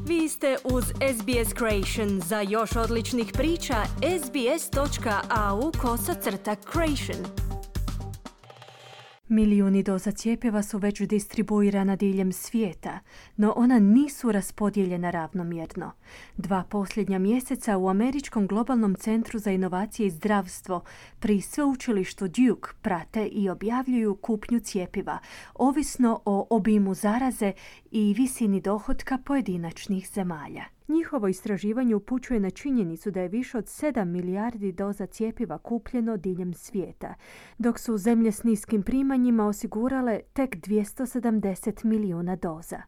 Vi ste uz SBS Creation. Za još odličnih priča, sbs.au/creation. Milijuni doza cjepiva su već distribuirana diljem svijeta, no ona nisu raspodijeljena ravnomjerno. 2 posljednja mjeseca u Američkom globalnom centru za inovacije i zdravstvo pri sveučilištu Duke prate i objavljuju kupnju cjepiva, ovisno o obimu zaraze i visini dohotka pojedinačnih zemalja. Njihovo istraživanje upućuje na činjenicu da je više od 7 milijardi doza cjepiva kupljeno diljem svijeta, dok su zemlje s niskim primanjima osigurale tek 270 milijuna doza.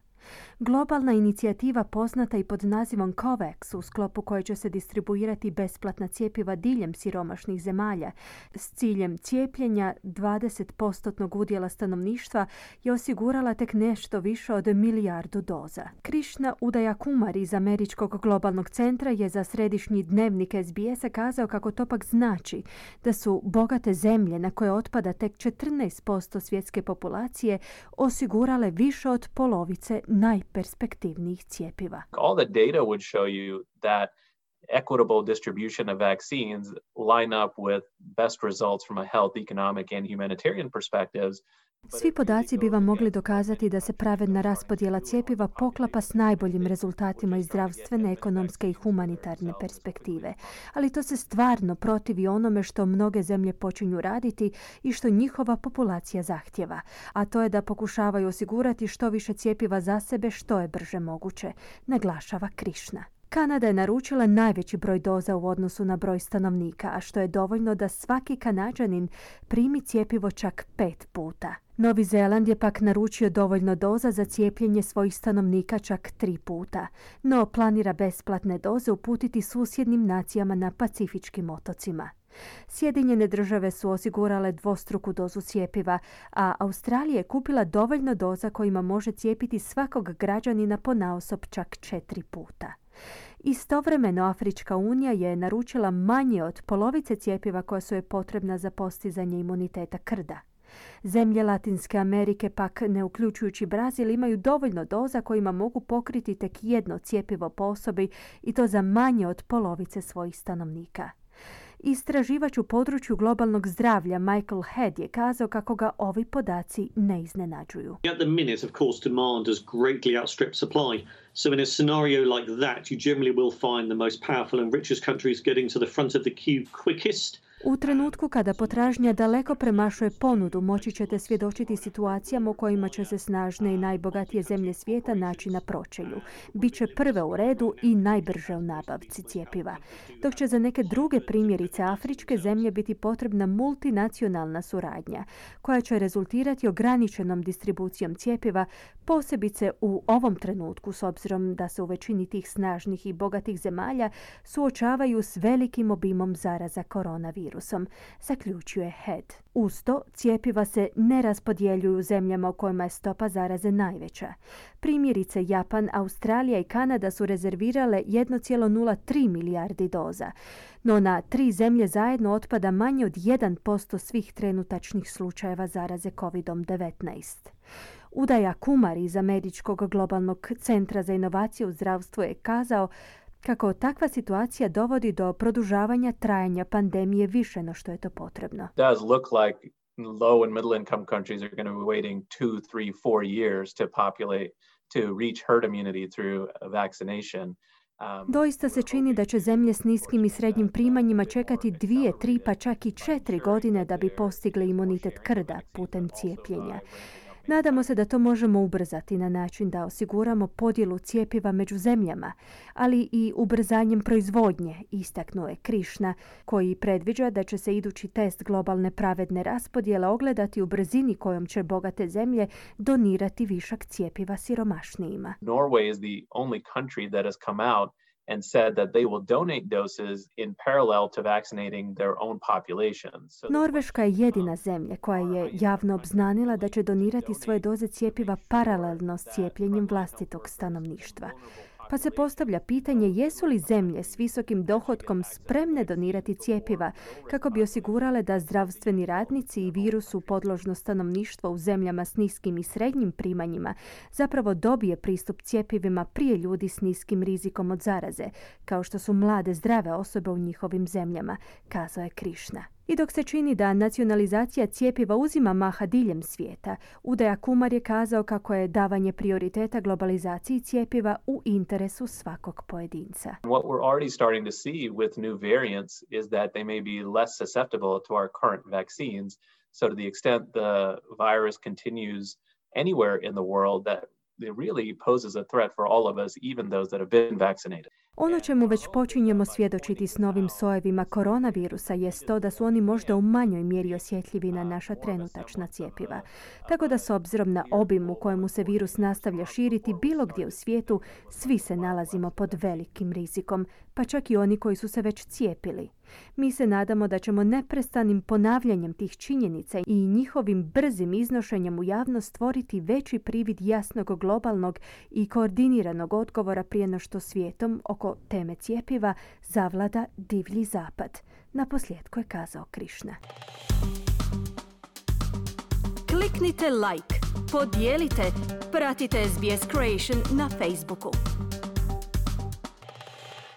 Globalna inicijativa poznata i pod nazivom COVAX, u sklopu koje će se distribuirati besplatna cjepiva diljem siromašnih zemalja s ciljem cijepljenja 20% udjela stanovništva, je osigurala tek nešto više od 1 milijardu doza. Krishna Udayakumar iz Američkog globalnog centra je za središnji dnevnik SBS-a kazao kako to pak znači da su bogate zemlje, na koje otpada tek 14% svjetske populacije, osigurale više od polovice najperspektivnijih cjepiva. All the data would show you that equitable distribution of vaccines line up with best results from a health, economic and humanitarian perspectives. Svi podaci bi vam mogli dokazati da se pravedna raspodjela cjepiva poklapa s najboljim rezultatima iz zdravstvene, ekonomske i humanitarne perspektive. Ali to se stvarno protivi onome što mnoge zemlje počinju raditi i što njihova populacija zahtjeva, a to je da pokušavaju osigurati što više cjepiva za sebe što je brže moguće, naglašava Krishna. Kanada je naručila najveći broj doza u odnosu na broj stanovnika, a što je dovoljno da svaki Kanađanin primi cjepivo čak 5 puta. Novi Zeland je pak naručio dovoljno doza za cijepljenje svojih stanovnika čak 3 puta, no planira besplatne doze uputiti susjednim nacijama na Pacifičkim otocima. Sjedinjene države su osigurale dvostruku dozu cjepiva, a Australija je kupila dovoljno doza kojima može cijepiti svakog građanina ponaosob čak 4 puta. Istovremeno Afrička unija je naručila manje od polovice cjepiva koja su joj potrebna za postizanje imuniteta krda. Zemlje Latinske Amerike pak, ne uključujući Brazil, imaju dovoljno doza kojima mogu pokriti tek jedno cjepivo po osobi i to za manje od polovice svojih stanovnika. Istraživač u području globalnog zdravlja Michael Head je kazao kako ga ovi podaci ne iznenađuju. At the minute, of course, demand does greatly outstrip supply. So in a scenario like that, you generally will find the most powerful and richest countries getting to the front of the queue quickest. U trenutku kada potražnja daleko premašuje ponudu, moći ćete svjedočiti situacijama u kojima će se snažne i najbogatije zemlje svijeta naći na pročelju. Biće prve u redu i najbrže u nabavci cjepiva. Dok će za neke druge, primjerice afričke zemlje, biti potrebna multinacionalna suradnja, koja će rezultirati ograničenom distribucijom cjepiva, posebice u ovom trenutku, s obzirom da se u većini tih snažnih i bogatih zemalja suočavaju s velikim obimom zaraza koronavirusom, zaključuje Head. Uz to, cjepiva se ne raspodjeljuju u zemljama u kojima je stopa zaraze najveća. Primjerice, Japan, Australija i Kanada su rezervirale 1,03 milijardi doza, no na 3 zemlje zajedno otpada manje od 1% svih trenutačnih slučajeva zaraze COVID-19. Udayakumar iz Američkog globalnog centra za inovacije u zdravstvu je kazao kako takva situacija dovodi do produžavanja trajanja pandemije više no što je to potrebno. Does look like low and middle income countries are going to be waiting 2, 3, 4 years to reach herd immunity through vaccination. Doista se čini da će zemlje s niskim i srednjim primanjima čekati 2, 3 pa čak i 4 godine da bi postigle imunitet krda putem cijepljenja. Nadamo se da to možemo ubrzati na način da osiguramo podjelu cjepiva među zemljama, ali i ubrzanjem proizvodnje, istaknuo je Krishna, koji predviđa da će se idući test globalne pravedne raspodjele ogledati u brzini kojom će bogate zemlje donirati višak cjepiva siromašnijima. Norway is the only country that has come out and said that they will donate doses in parallel to vaccinating their own populations. Norveška je jedina zemlja koja je javno obznanila da će donirati svoje doze cjepiva paralelno s cijepljenjem vlastitog stanovništva. Pa se postavlja pitanje jesu li zemlje s visokim dohotkom spremne donirati cjepiva kako bi osigurale da zdravstveni radnici i virusu podložno stanovništvo u zemljama s niskim i srednjim primanjima zapravo dobije pristup cjepivima prije ljudi s niskim rizikom od zaraze, kao što su mlade zdrave osobe u njihovim zemljama, kazao je Krishna. I dok se čini da nacionalizacija cjepiva uzima maha diljem svijeta, Udaya Kumar je kazao kako je davanje prioriteta globalizaciji cjepiva u interesu svakog pojedinca. What we're already starting to see with new variants is that they may be less susceptible to our current vaccines. So to the extent the virus continues anywhere in the world, that it really poses a threat for all of us, even those that have been vaccinated. Ono čemu već počinjemo svjedočiti s novim sojevima koronavirusa jest to da su oni možda u manjoj mjeri osjetljivi na naša trenutačna cjepiva. Tako da s obzirom na obim u kojemu se virus nastavlja širiti bilo gdje u svijetu, svi se nalazimo pod velikim rizikom, pa čak i oni koji su se već cijepili. Mi se nadamo da ćemo neprestanim ponavljanjem tih činjenica i njihovim brzim iznošenjem u javnost stvoriti veći privid jasnog globalnog i koordiniranog odgovora prije no što svijetom oko teme cjepiva zavlada divlji zapad. Naposljetku je kazao Krishna. Kliknite like, podijelite, pratite SBS Creation na Facebooku.